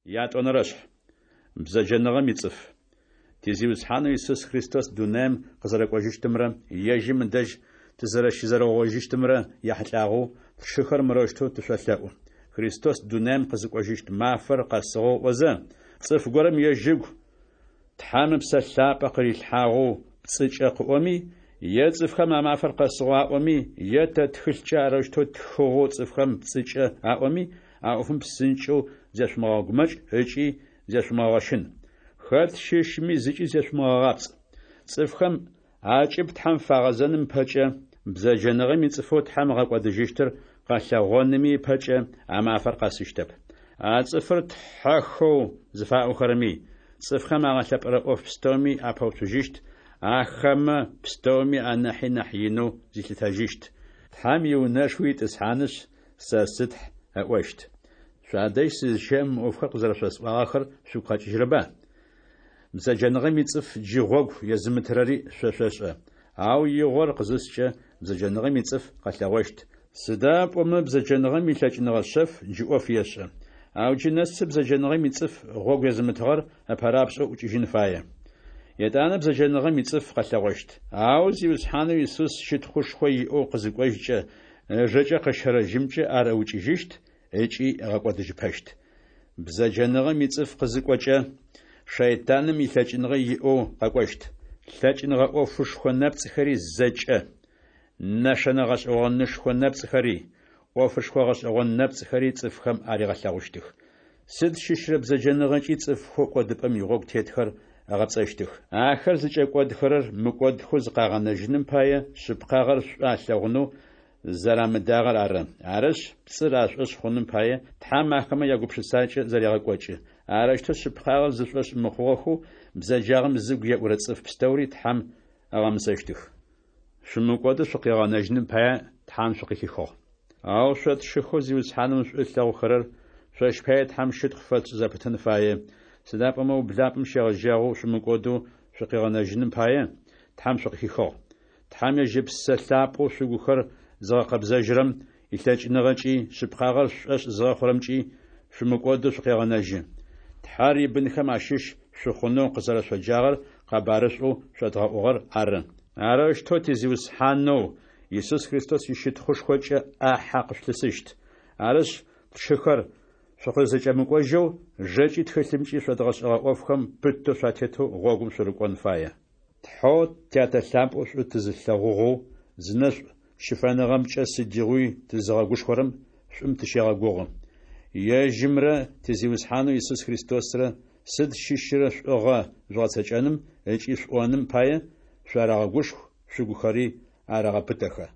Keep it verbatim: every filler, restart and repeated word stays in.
Ятӏонэрэшъхь. Бзэджэныгъэм ицӏыф. Ти Зиусхьанэу Исус Христос дунаим къызэрэкӏожьыщтымрэ ежьым ыдэжь тызэрэщызэрэугъоижьыщтымрэ яхьылӏагъэу, тшыхэр, мырэущтэу тышъолъэӏу. Христос дунаим къызыкӏожьыщт мафэр къэсыгъэу ыӏозэ, цӏыф горэм ежь ыгу Тхьэм Ыпсэ Лъапӏэ къырилъхьагъэу пцӏыкӏэ къыӏоми, е цӏыфхэм а мафэр къэсыгъэу аӏоми, е тэ тхылъкӏэ арэущтэу ттхыгъэу цӏыфхэм пцӏыкӏэ аӏоми, а ӏофым псынкӏэу зешъумыгъэгумэкӏ ыкӏи зешъумыгъэгъэщын. Хэт щыщми зыкӏи зешъумыгъэгъапцӏ. Цӏыфхэм акӏыб Тхьэм фагъэзэным ыпэкӏэ, бзэджэныгъэм ицӏыфэу Тхьэм ыгъэкӏодыжьыщтыр къэлъэгъоными ыпэкӏэ а мафэр къэсыщтэп. А цӏыфыр тхьэхэу зыфаӏохэрэми, цӏыфхэм агъэлъэпӏэрэ ӏоф пстэуми апэуцужьыщт, ахэмэ пстэуми анахьи нахь инэу зилъытэжьыщт, Тхьэм иунэшхуи итӏысхьанышъ, «Сэ сы Тхь» ыӏощт. Шъуадэжь сызыщэӏэм мы ӏофхэр къызэрэшъосӏуагъэхэр шъугу къэкӏыжьырэба? Бзэджэныгъэм ицӏыф джы гъогу езымытырэри шъо шъошӏэ. Ау игъор къызыскӏэ, бзэджэныгъэм ицӏыф къэлъэгъощт, сыда пӏомэ бзэджэныгъэм илъэкӏыныгъэ шъэф джы ӏоф ешӏэ. Ау джы нэсы бзэджэныгъэм ицӏыф гъогу езымытыгъэр ыпэрапшӏэу ӏукӏыжьын фае. Етӏанэ бзэджэныгъэм ицӏыф къэлъэгъощт. Ау Зиусхьанэу Исус щытхъушхо иӏэу къызыкӏожькӏэ, ыжэкӏэ къыщэрэ жьымкӏэ ар ыукӏыжьыщт ыкӏи ыгъэкӏодыжьыпэщт. Бзэджэныгъэм ицӏыф къызыкӏокӏэ, шэйтаным илъэкӏыныгъэ иӏэу къэкӏощт. Лъэкӏыныгъэ ӏофышхо нэпцӏхэри зэкӏэ, нэшэнэ гъэшӏэгъонышхо нэпцӏхэри, ӏофышхо гъэшӏэгъон нэпцӏхэри цӏыфхэм аригъэлъэгъущтых. Сыд щыщрэ бзэджэныгъэкӏи цӏыфхэу кӏодыпӏэм игъогу тетхэр ыгъэпцӏэщтых. Ахэр зыкӏэкӏодхэрэр мыкӏодхэу зыкъагъэнэжьыным пае, шъыпкъагъэр шӏу алъэгъунэу зэрамыдагъэр ары. Арышъ, пцӏыр ашӏошъ хъуным пае, Тхьэм ахэмэ ягупшысакӏэ зэрегъэкӏокӏы. Арэущтэу шъыпкъагъэр зышӏошъ мыхъугъэхэу, бзэджагъэм зыгу еӏурэ цӏыф пстэури Тхьэм ыгъэмысэщтых. Шъумыкӏодэу шъукъигъэнэжьыным пае Тхьэм шъукъыхихыгъ. Ау шъо тшыхэу Зиусхьаным шӏу ылъэгъухэрэр, шъощ пае Тхьэм щытхъу фэтшӏ зэпытын фае, сыда пӏомэ ублапӏэм щегъэжьагъэу шъумыкӏодэу шъукъигъэнэжьыным пае, Тхьэм шъукъыхихыгъ. Тхьэм ежь Ыпсэ Лъапӏэу шъугухэр зыгъэкъэбзэжьырэм илъэкӏыныгъэкӏи, шъыпкъагъэр шъушӏошъ зыхъурэмкӏи шъумыкӏодэу шъукъегъэнэжьы. Тхьэр ибынхэм ащыщ шъухъунэу къызэрэшъоджагъэр къэбарышӏоу шъодгъэӏугъэр ары. Арэущтэу ти Зиусхьанэу Исус Христос ищытхъушхокӏэ ӏахьэ къышъулъысыщт. Арышъ, тшыхэр, шъукъызэкӏэмыкӏожьэу, жэкӏи тхылъымкӏи шъодгъэшӏэгъэ ӏофхэм пытэу шъуатетэу гъогум шъурыкӏон фае. Тхьэу Тятэ лъапӏэу шӏу тызылъэгъугъэу, зынэшӏу щыфэныгъэмкӏэ сыдигъуи тызыгъэгушхорэм шӏум тыщегъэгугъы. Ежьымрэ ти Зиусхьанэу Исус Христосрэ сыд щыщырэ шӏугъэ жъугъэцэкӏэным ыкӏи шъуӏоным пае шъуарэгъэгушху, шъугухэри арэгъэпытэхэ.